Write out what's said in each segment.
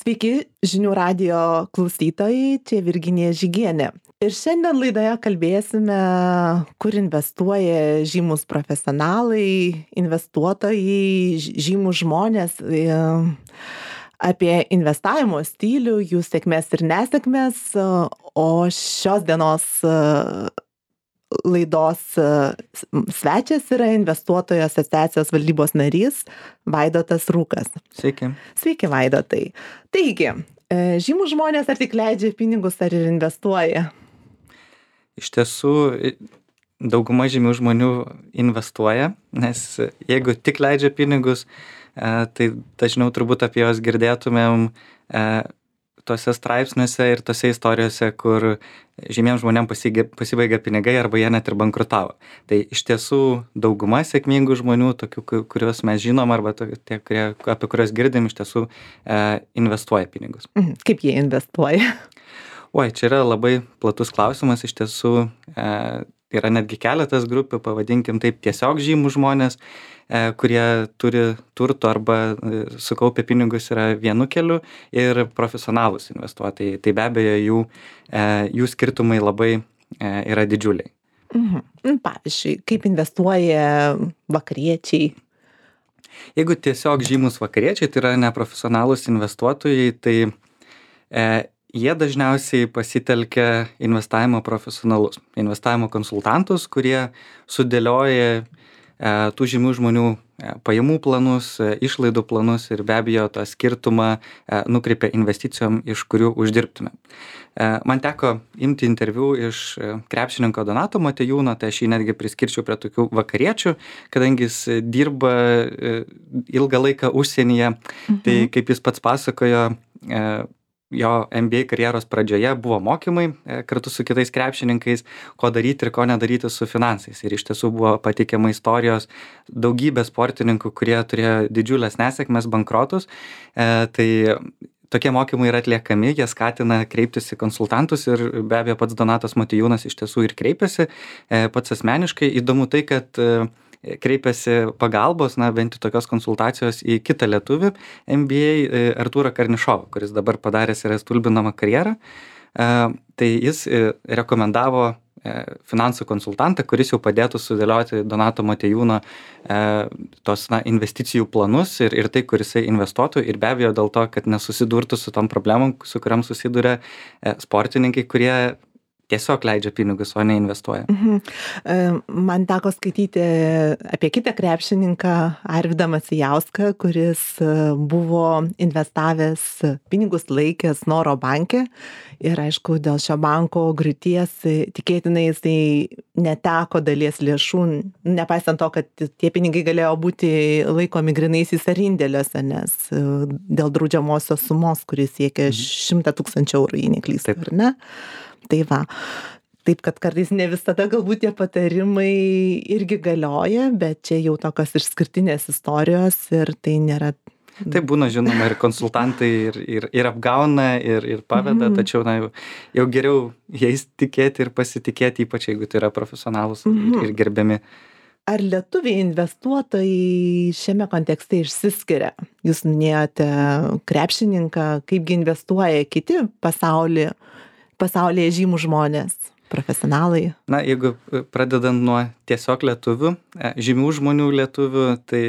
Sveiki, žinių radijo klausytojai, čia Virginija Žygienė. Ir šiandien laidoje kalbėsime, kur investuoja žymus profesionalai, investuotojai, žymus žmonės, apie investavimo stilių, jų sėkmės ir nesėkmės, o šios dienos laidos svečias yra investuotojų asociacijos valdybos narys Vaidotas Rūkas. Sveiki. Sveiki, Vaidotai. Taigi, žymus žmonės ar tik leidžia pinigus, ar ir investuoja? Iš tiesų, dauguma žymių žmonių investuoja, nes jeigu tik leidžia pinigus, tai dažniau turbūt apie juos girdėtumėm tose straipsniuose ir tose istorijose, kur žymiems žmonėms pasibaigia pinigai arba jie net ir bankrutavo. Tai iš tiesų dauguma sėkmingų žmonių, tokių, kuriuos mes žinom, arba tie, apie kuriuos girdim, iš tiesų investuoja pinigus. Kaip jie investuoja? Oi, čia yra labai platus klausimas, iš tiesų yra netgi keletas grupių, pavadinkim taip, tiesiog žymų žmonės, kurie turi turto arba sukaupę pinigus yra vienu keliu, ir profesionalūs investuotojai. Tai be abejo jų skirtumai labai yra didžiuliai. Pavyzdžiui, kaip investuoja vakariečiai? Jeigu tiesiog žymus vakariečiai, tai yra neprofesionalūs investuotojai, tai jie dažniausiai pasitelkia investavimo profesionalus, investavimo konsultantus, kurie sudėlioja tų žymių žmonių pajamų planus, išlaidų planus ir be abejo tą skirtumą nukreipia investicijom, iš kurių uždirbtume. Man teko imti interviu iš krepšininko Donato Motiejūno, tai aš jį netgi priskirčiau prie tokių vakariečių, kadangi jis dirba ilgą laiką užsienyje. Tai kaip jis pats pasakojo, jo MBA karjeros pradžioje buvo mokymai kartu su kitais krepšininkais, ko daryti ir ko nedaryti su finansais. Ir iš tiesų buvo pateikiama istorijos daugybė sportininkų, kurie turėjo didžiulės nesėkmes, bankrotus. Tai tokie mokymai yra atliekami, jie skatina kreiptis į konsultantus ir be abejo pats Donatas Motiejūnas iš tiesų ir kreipėsi pats asmeniškai. Įdomu tai, kad kreipėsi pagalbos, bent jau tokios konsultacijos į kitą lietuvį MBA Artūrą Karnišovą, kuris dabar padaręs yra stulbinamą karjerą. Tai jis rekomendavo finansų konsultantą, kuris jau padėtų sudėlioti Donato Motiejūno tos investicijų planus ir tai, kur jisai investuotų, ir be abejo dėl to, kad nesusidurtų su tom problemom, su kuriam susiduria sportininkai, kurie tiesiog leidžia pinigus, o ne investuoja. Man teko skaityti apie kitą krepšininką, Arvydą Macijauską, kuris buvo investavęs pinigus laikęs Snoro banke ir aišku, dėl šio banko griūties tikėtinai jisai neteko dalies lėšų, nepaisant to, kad tie pinigai galėjo būti laikomi grynaisiais ar indėliuose, nes dėl draudžiamosios sumos, kuris siekia 100 000 eurų, jei neklystu, ar ne? Tai va, taip kad kartais ne visada galbūt tie patarimai irgi galioja, bet čia jau tokios išskirtinės istorijos ir tai nėra. Tai būna, žinoma, ir konsultantai ir apgauna, ir paveda, tačiau jau geriau jais tikėti ir pasitikėti, ypač jeigu tai yra profesionalus ir gerbiami. Ar lietuviai investuotojai šiame kontekste išsiskiria? Jūs minėjote krepšininką, kaipgi investuoja kiti pasaulyje žymų žmonės, profesionalai? Jeigu pradedant nuo tiesiog lietuvių, žymių žmonių lietuvių, tai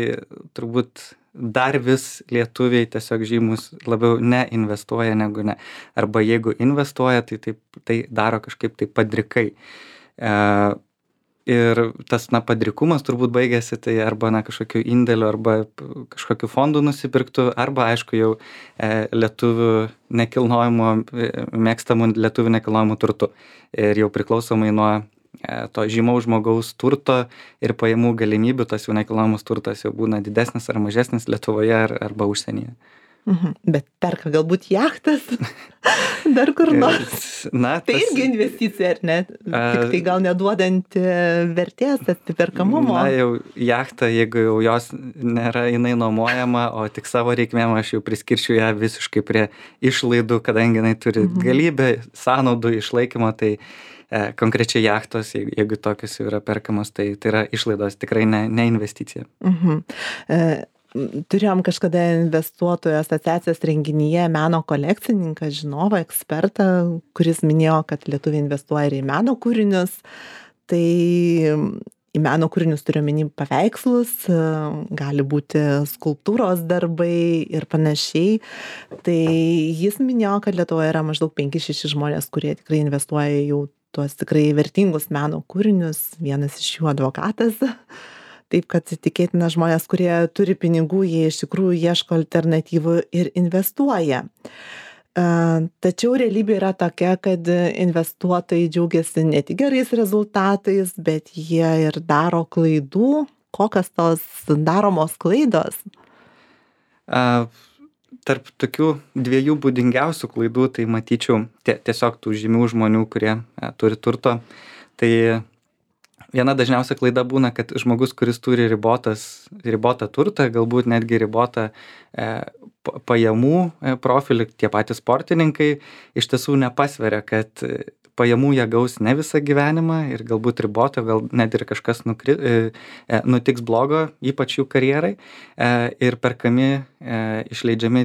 turbūt dar vis lietuviai tiesiog žymus labiau neinvestuoja negu ne. Arba jeigu investuoja, tai daro kažkaip tai padrikai. Ir tas padrikumas turbūt baigėsi tai arba kažkokiu indėliu, arba kažkokiu fondu nusipirktų, arba aišku jau lietuvių mėgstamų lietuvių nekilnojamų turtų. Ir jau priklausomai nuo to žymaus žmogaus turto ir pajamų galimybių, tas jau nekilnojamas turtas jau būna didesnis ar mažesnis Lietuvoje arba užsienyje. Bet perka galbūt jachtas dar kur nors. Tai irgi investicija, ar ne? Tik tai gal neduodanti vertės, atsiperkamumo. Jau jachtą, jeigu jau jos nėra jinai nuomojama, o tik savo reikmėm, aš jau priskirčiau ją visiškai prie išlaidų, kadangi jinai turi galybę sąnaudų išlaikymo, tai konkrečiai jachtos, jeigu tokios jau yra perkamos, tai yra išlaidos, tikrai ne investicija. turėjom kažkada investuotojų asociacijos renginyje meno kolekcininką, žinovą, ekspertą, kuris minėjo, kad lietuviai investuoja ir į meno kūrinius. Tai į meno kūrinius turiu omeny paveikslus, gali būti skulptūros darbai ir panašiai. Tai jis minėjo, kad Lietuvoje yra maždaug 5-6 žmonės, kurie tikrai investuoja jau tuos tikrai vertingus meno kūrinius. Vienas iš jų advokatas. Taip kad tikėtina žmonės, kurie turi pinigų, jie iš tikrųjų ieško alternatyvų ir investuoja. Tačiau realybė yra tokia, kad investuotojai džiaugiasi ne tik gerais rezultatais, bet jie ir daro klaidų. Kokios tos daromos klaidos? Tarp tokių dviejų būdingiausių klaidų, tai matyčiau tiesiog tų žymių žmonių, kurie turi turto. Tai viena dažniausia klaida būna, kad žmogus, kuris turi ribotą turtą, galbūt netgi ribotą pajamų profilį, tie patys sportininkai, iš tiesų nepasveria, kad pajamų jie gaus ne visą gyvenimą ir galbūt ribotą, gal net ir kažkas nutiks blogo, ypač jų karjerai, ir perkami, išleidžiami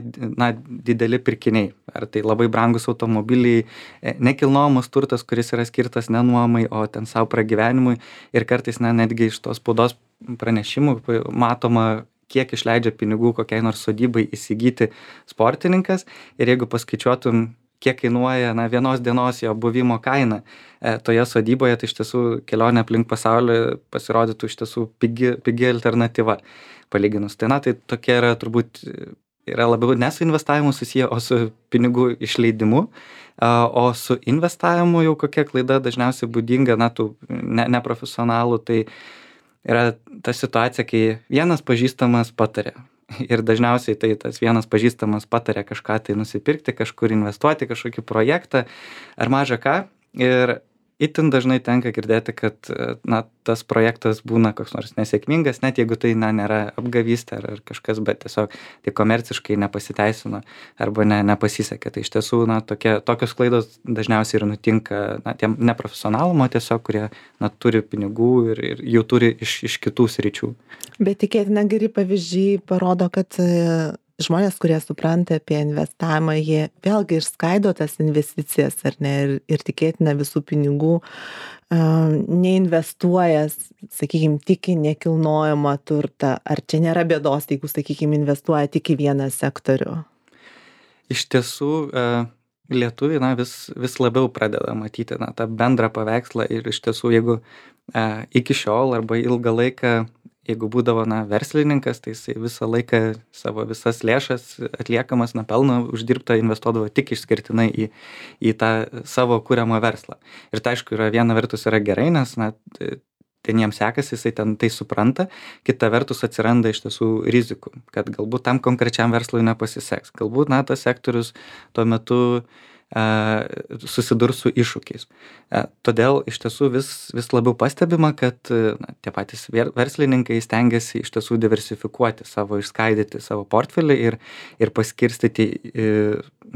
dideli pirkiniai. Ar tai labai brangus automobiliai, nekilnojamas turtas, kuris yra skirtas ne nuomai, o ten savo pragyvenimui, ir kartais netgi iš tos spaudos pranešimų matoma, kiek išleidžia pinigų kokiai nors sodybai įsigyti sportininkas, ir jeigu paskaičiuotum, kiek kainuoja vienos dienos jo buvimo kaina toje sodyboje, tai iš tiesų kelionė aplink pasaulį pasirodytų iš tiesų pigi alternatyva palyginus. Tai tokie yra turbūt yra labiau ne su investavimu susiję, o su pinigų išleidimu. O su investavimu jau kokia klaida dažniausiai būdinga tų neprofesionalų, tai yra ta situacija, kai vienas pažįstamas patarė. Ir dažniausiai tai tas vienas pažįstamas patarė kažką tai nusipirkti, kažkur investuoti, kažkokį projektą ar mažą ką. Ir itin dažnai tenka girdėti, kad tas projektas būna koks nors nesėkmingas, net jeigu tai nėra apgavystė ar kažkas, bet tiesiog tai komerciškai nepasiteisino arba nepasisekė. Tai iš tiesų tokios klaidos dažniausiai ir nutinka tiem neprofesionalumo tiesiog, kurie turi pinigų ir jų turi iš kitų sričių. Bet tikėtina geri pavyzdžiai parodo, kad žmonės, kurie supranta apie investavimą, jie vėlgi išskaido tas investicijas, ar ne, ir tikėtina visų pinigų neinvestuoja, sakykime, tik į nekilnojamą turtą. Ar čia nėra bėdos, jeigu, sakykime, investuoja tik į vieną sektorių? Iš tiesų, lietuviai vis labiau pradeda matyti tą bendrą paveikslą, ir iš tiesų, jeigu iki šiol arba ilgą laiką, jeigu būdavo verslininkas, tai jisai visą laiką savo visas lėšas atliekamas pelną uždirbtą investuodavo tik išskirtinai į tą savo kuriamą verslą. Ir tai aišku, viena vertus yra gerai, nes ten jiems sekasi, jisai ten tai supranta, kita vertus atsiranda iš tiesų rizikų, kad galbūt tam konkrečiam verslui nepasiseks, galbūt tas sektorius tuo metu susidurs su iššūkiais. Todėl iš tiesų vis labiau pastebima, kad tie patys verslininkai stengiasi iš tiesų diversifikuoti išskaidyti savo portfelį ir paskirstyti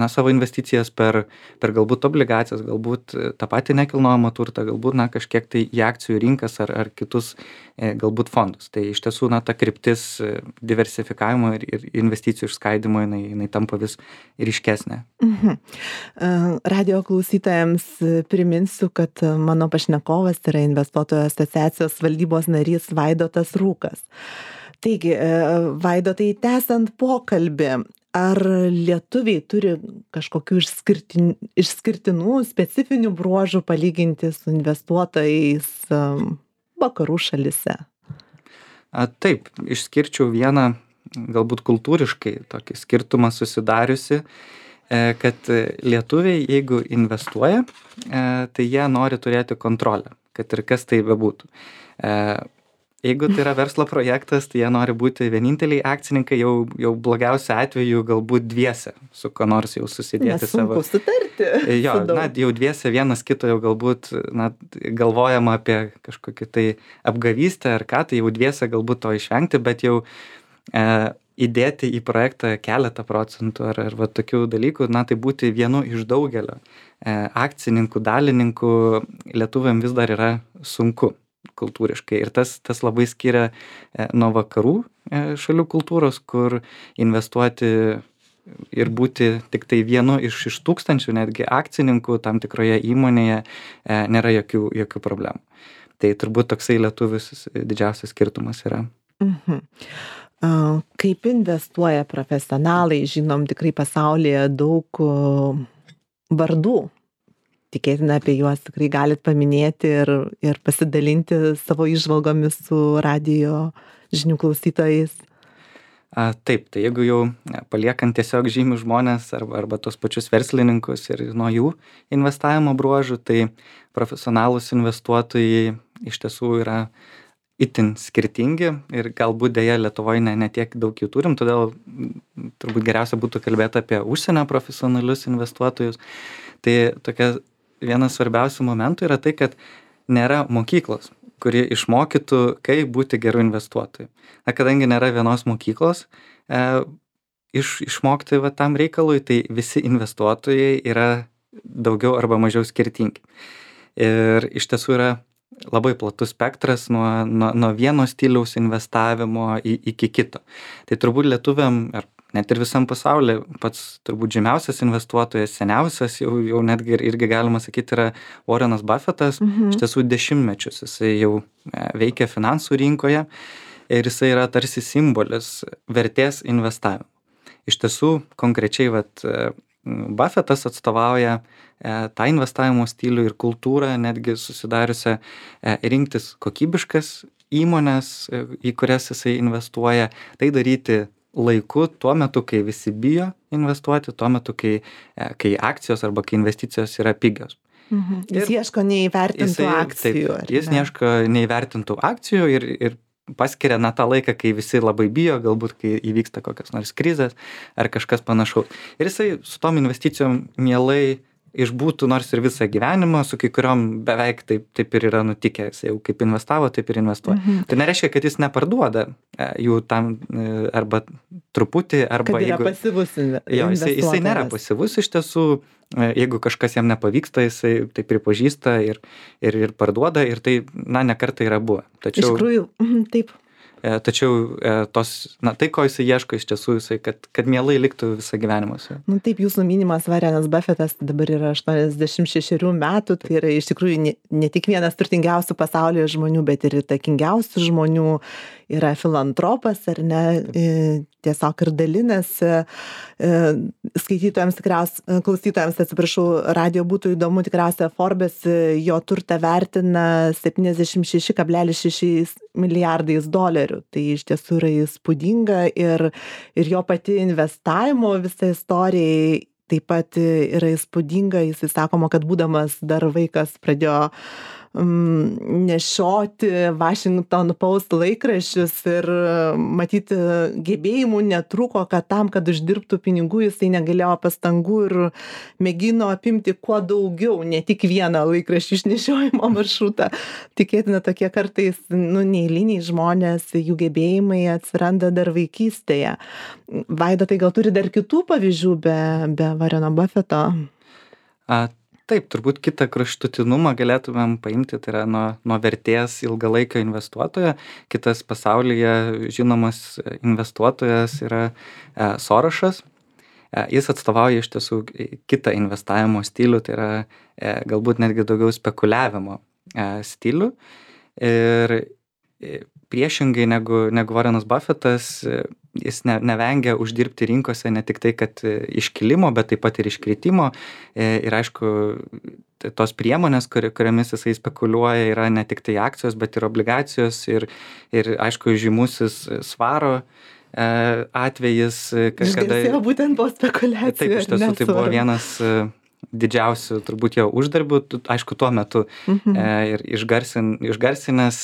savo investicijas per galbūt obligacijas, galbūt tą patį nekilnojamą turtą, galbūt kažkiek tai į akcijų rinkas ar kitus galbūt fondus. Tai iš tiesų ta kryptis diversifikavimo ir investicijų išskaidimo jinai tampa vis ryškesnė. Radio klausytojams priminsiu, kad mano pašnekovas yra investuotojų asociacijos valdybos narys Vaidotas Rūkas. Taigi, Vaidotai, tęsiant pokalbį, ar lietuviai turi kažkokių išskirtinų, specifinių bruožų palyginti su investuotojais vakarų šalyse? Taip, išskirčiau vieną galbūt kultūriškai tokį skirtumą susidariusi, kad lietuviai, jeigu investuoja, tai jie nori turėti kontrolę, kad ir kas tai bebūtų. Jeigu tai yra verslo projektas, tai jie nori būti vieninteliai akcininkai, jau blogiausia atveju galbūt dviese, su ko nors jau susidėti savo. Nesunku sutarti. Jo, jau dviese vienas kito jau galbūt galvojama apie kažkokį tai apgavystę ar ką, tai jau dviese galbūt to išvengti, bet jau įdėti į projektą keletą procentų ar tokių dalykų, tai būti vienu iš daugelio akcininkų, dalininkų lietuviam vis dar yra sunku. kultūriškai. Ir tas labai skiria nuo vakarų šalių kultūros, kur investuoti ir būti tik tai vienu iš tūkstančių netgi akcininkų tam tikroje įmonėje nėra jokių problemų. Tai turbūt toksai lietuvis didžiausias skirtumas yra. Kaip investuoja profesionalai, žinom tikrai pasaulyje daug vardų. Tikėtina apie juos tikrai galit paminėti ir pasidalinti savo įžvalgomis su radijo žinių klausytojais. Taip, tai jeigu jau paliekant tiesiog žymius žmonės arba tos pačius verslininkus ir nuo jų investavimo bruožų, tai profesionalūs investuotojai iš tiesų yra itin skirtingi ir galbūt dėja Lietuvoje ne tiek daug jų turim, todėl turbūt geriausia būtų kalbėti apie užsienio profesionalius investuotojus. Tai tokia vienas svarbiausių momentų yra tai, kad nėra mokyklos, kuri išmokytų, kaip būti geru investuotoju. Kadangi nėra vienos mokyklos išmokti tam reikalui, tai visi investuotojai yra daugiau arba mažiau skirtingi. Ir iš tiesų yra labai platus spektras nuo vieno stiliaus investavimo iki kito. Tai turbūt lietuviam, ar net ir visam pasaulyje, pats turbūt žymiausias investuotojas, seniausias, jau netgi irgi galima sakyti, yra Warrenas Buffettas. Iš tiesų dešimtmečius jisai jau veikia finansų rinkoje ir jisai yra tarsi simbolis vertės investavimo. Iš tiesų, konkrečiai Buffettas atstovauja tą investavimo stilių ir kultūrą, netgi susidariusią rinktis kokybiškas įmonės, į kurias jisai investuoja, tai daryti laiku, tuo metu, kai visi bijo investuoti, tuo metu, kai akcijos arba kai investicijos yra pigios. Jis ieško neįvertintų akcijų. Jis ieško neįvertintų akcijų ir paskiria tą laiką, kai visi labai bijo, galbūt kai įvyksta kokios nors krizės ar kažkas panašaus. Ir jisai su tom investicijom mielai išbūtų nors ir visą gyvenimą, su kai kuriom beveik taip ir yra nutikę. Jis jau kaip investavo, taip ir investuoja. Tai nereiškia, kad jis neparduoda jų tam arba truputį, arba kad yra pasyvus investuotojas. Jisai nėra pasyvus iš tiesų. Jeigu kažkas jam nepavyksta, jisai tai pripažįsta ir parduoda ir tai, ne kartą yra buvę. Iš tikrųjų, taip. Tačiau tai, ko jisai ieško iš tiesų, jisai, kad mielai liktų visą gyvenimą. Taip, jūsų minimas Warrenas Buffettas dabar yra 86 metų, tai yra iš tikrųjų ne tik vienas turtingiausių pasaulyje žmonių, bet ir įtakingiausių žmonių, yra filantropas, ar ne, tiesiog ir dalinasi. Skaitytojams klausytojams, atsiprašau, radijo būtų įdomu, tikriausiai Forbes jo turtą vertina 76,6 milijardais dolerių. Tai iš tiesų yra įspūdinga ir jo pati investavimo visa istorija taip pat yra įspūdinga. Jisai sakoma, kad būdamas dar vaikas pradėjo nešioti Washington Post laikraščius ir matyti gebėjimų netrūko, kad tam, kad uždirbtų pinigų, jisai negalėjo pastangų ir mėgino apimti kuo daugiau, ne tik vieną laikraščių išnešiojimo maršrutą. Tikėtina tokie kartais neeiliniai žmonės, jų gebėjimai atsiranda dar vaikystėje. Vaida, tai gal turi dar kitų pavyzdžių be Warreno Buffetto? Taip, turbūt kitą kraštutinumą galėtumėm paimti, tai yra nuo vertės ilgalaikio investuotojo. Kitas pasaulyje žinomas investuotojas yra Sorošas. Jis atstovauja iš tiesų kitą investavimo stilių, tai yra galbūt netgi daugiau spekuliavimo stilių. Ir priešingai negu Warrenas Buffettas, jis nevengia uždirbti rinkose ne tik tai, kad iškilimo, bet taip pat ir iškritimo. Ir aišku, tos priemonės, kuriamis jisai spekuliuoja, yra ne tik tai akcijos, bet ir obligacijos ir aišku, žymusis svaro atvejis. Išgarsėjo būtent po spekulacijų. Taip, iš tiesų tai buvo vienas didžiausių turbūt jo uždarbių, aišku, tuo metu. Ir išgarsinęs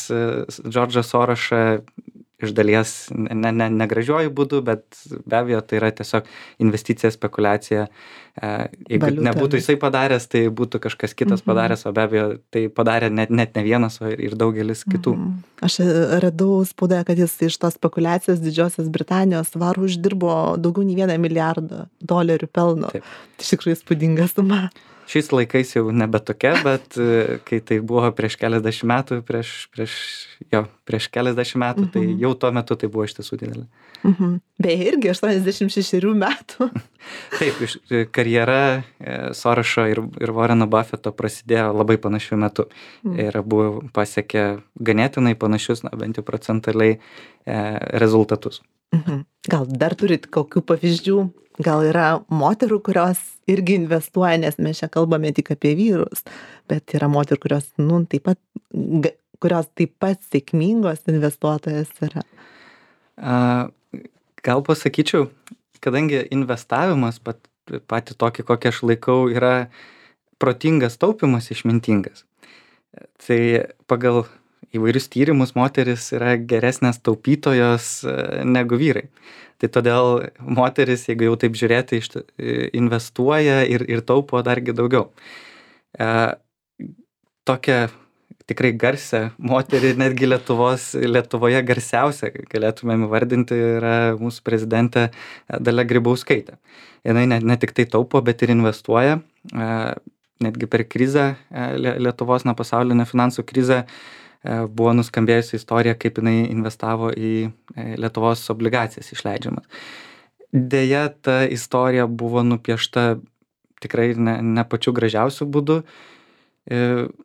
Džordžą Sorošą iš dalies negražiuoju būdu, bet be abejo tai yra tiesiog investicija, spekulacija. Jeigu nebūtų jisai padaręs, tai būtų kažkas kitas padaręs, o be abejo tai padarė net ne vienas, o ir daugelis kitų. Aš radau spaudoje, kad jis iš tos spekulacijos Didžiosios Britanijos svarų uždirbo daugiau nei $1 milijardą pelno. Taip. Tai iš tikrųjų įspūdinga suma. Šiais laikais jau nebe tokia, bet kai tai buvo prieš keliasdešimt metų, prieš keliasdešimt metų, tai jau tuo metu tai buvo iš tiesų didelė. Beje, irgi 86 metų. Taip, karjera Sorošo ir Warreno Buffetto prasidėjo labai panašiu metu. Ir buvo pasiekę ganėtinai panašius, bent jau procentaliai rezultatus. Gal dar turit kokių pavyzdžių? Gal yra moterų, kurios irgi investuoja, nes mes čia kalbame tik apie vyrus, bet yra moterų, kurios taip pat sėkmingos investuotojas yra. Gal pasakyčiau, kadangi investavimas patį tokį, kokį aš laikau, yra protingas taupimas išmintingas. Tai pagal įvairius tyrimus moteris yra geresnės taupytojos negu vyrai. Tai todėl moteris, jeigu jau taip žiūrėti, investuoja ir taupo dargi daugiau. Tokią tikrai garsią moterį, netgi Lietuvoje garsiausia, galėtumėm įvardinti, yra mūsų prezidentė Dalia Grybauskaitė. Jinai ne tik tai taupo, bet ir investuoja. Netgi per krizę, Lietuvos pasaulinę finansų krizę, buvo nuskambėjusi istorija, kaip jinai investavo į Lietuvos obligacijas išleidžiamas. Deja, ta istorija buvo nupiešta tikrai ne pačiu gražiausiu būdu,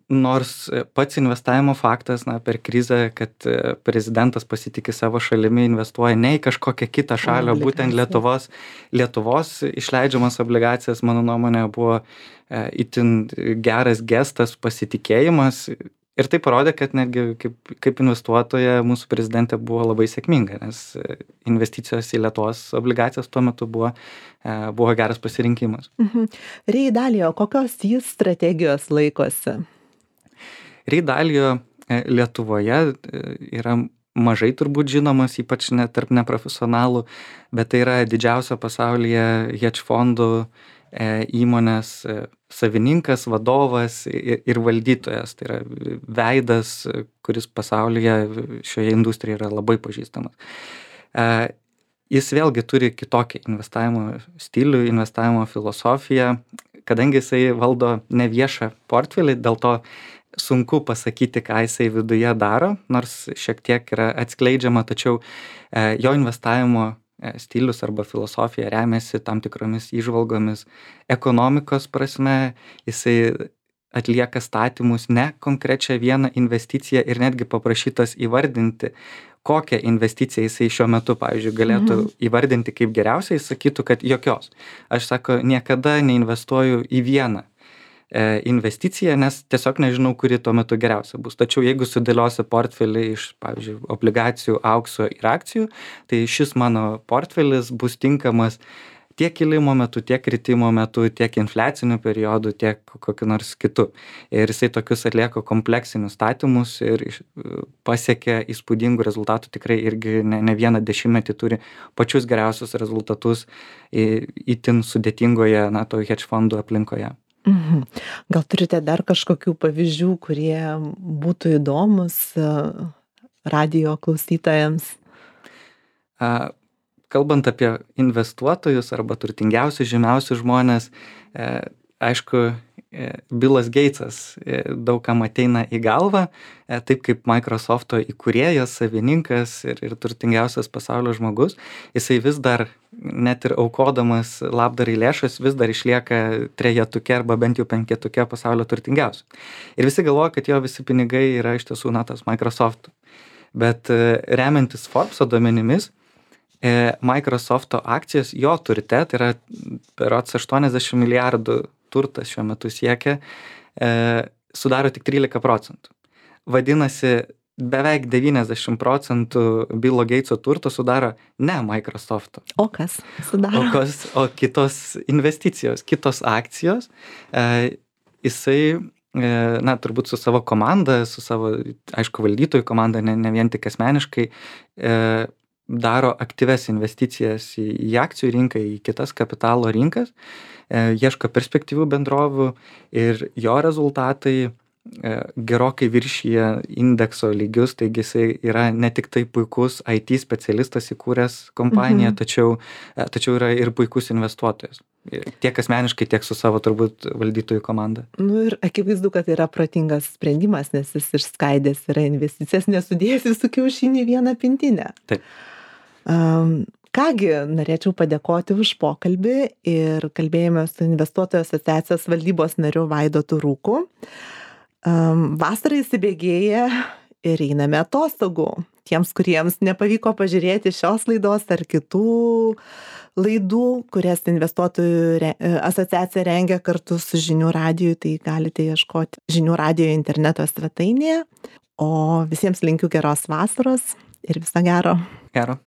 nors pats investavimo faktas per krizę, kad prezidentas pasitikė savo šalimi, investuoja ne į kažkokią kitą šalį, o būtent Lietuvos išleidžiamas obligacijas, mano nuomonė, buvo itin geras gestas, pasitikėjimas. Ir tai parodė, kad netgi kaip investuotoja mūsų prezidentė buvo labai sėkminga, nes investicijos į Lietuvos obligacijas tuo metu buvo geras pasirinkimas. Ray Dalio, kokios jis strategijos laikosi? Ray Dalio Lietuvoje yra mažai turbūt žinomas, ypač tarp neprofesionalų, bet tai yra didžiausio pasaulyje hedge fondų įmonės savininkas, vadovas ir valdytojas. Tai yra veidas, kuris pasaulyje šioje industrijoje yra labai pažįstamas. Jis vėlgi turi kitokį investavimo stilių, investavimo filosofiją, kadangi jisai valdo neviešą portfelį, dėl to sunku pasakyti, ką jisai viduje daro, nors šiek tiek yra atskleidžiama, tačiau jo investavimo stilius arba filosofija remiasi tam tikromis įžvalgomis ekonomikos prasme, jisai atlieka statymus ne konkrečią vieną investiciją ir netgi paprašytas įvardinti, kokią investiciją jisai šiuo metu, pavyzdžiui, galėtų įvardinti kaip geriausiai, jis sakytų, kad jokios. Aš niekada neinvestuoju į vieną investiciją, nes tiesiog nežinau, kuri tuo metu geriausia bus. Tačiau jeigu sudėliosiu portfelį iš, pavyzdžiui, obligacijų, aukso ir akcijų, tai šis mano portfelis bus tinkamas tiek kilimo metu, tiek kritimo metu, tiek infliacinių periodų, tiek kokiu nors kitu. Ir jisai tokius atlieka kompleksinius statymus ir pasiekia įspūdingų rezultatų, tikrai irgi ne vieną dešimtmetį turi pačius geriausius rezultatus itin sudėtingoje to hedge fondų aplinkoje. Gal turite dar kažkokių pavyzdžių, kurie būtų įdomus radijo klausytojams? Kalbant apie investuotojus arba turtingiausius, žymiausius žmonės, aišku, Billas Gatesas daugam ateina į galvą, taip kaip Microsofto įkūrėjas, savininkas ir turtingiausias pasaulio žmogus, jisai vis dar, net ir aukodamas labdarai lėšas, vis dar išlieka trejetuke arba bent jau penketuke pasaulio turtingiausių. Ir visi galvoja, kad jo visi pinigai yra iš tiesų tas Microsoft. Bet remiantis Forbeso duomenimis, Microsofto akcijos jo turte, tai yra berods 80 milijardų turtas šiuo metu siekia, sudaro tik 13%. Vadinasi, beveik 90% Billo Gateso turto sudaro ne Microsofto. O kas sudaro? O kitos investicijos, kitos akcijos. Jisai, turbūt su savo komanda, su savo, aišku, valdytojų komanda, ne vien tik asmeniškai, daro aktyves investicijas į akcijų rinką, į kitas kapitalo rinkas, ieško perspektyvių bendrovių ir jo rezultatai gerokai viršyje indekso lygius, taigi jisai yra ne tik tai puikus IT specialistas įkūręs kompaniją, tačiau yra ir puikus investuotojas. Tiek asmeniškai, tiek su savo turbūt valdytojų komanda. Nu ir akivaizdu, kad yra protingas sprendimas, nes jis išskaidęs yra investicijas, nesudėjęs visų kiaušinių į vieną pintinę. Taip. Kągi, norėčiau padėkoti už pokalbį ir kalbėjome su Investuotojų asociacijos valdybos nariu Vaidotu Rūku. Vasara įsibėgėja ir einame atostogų. Tiems, kuriems nepavyko pažiūrėti šios laidos ar kitų laidų, kurias Investuotojų asociacija rengia kartu su Žinių radiju, tai galite ieškoti Žinių radijo interneto svetainėje. O visiems linkiu geros vasaros ir viso gero. Gero.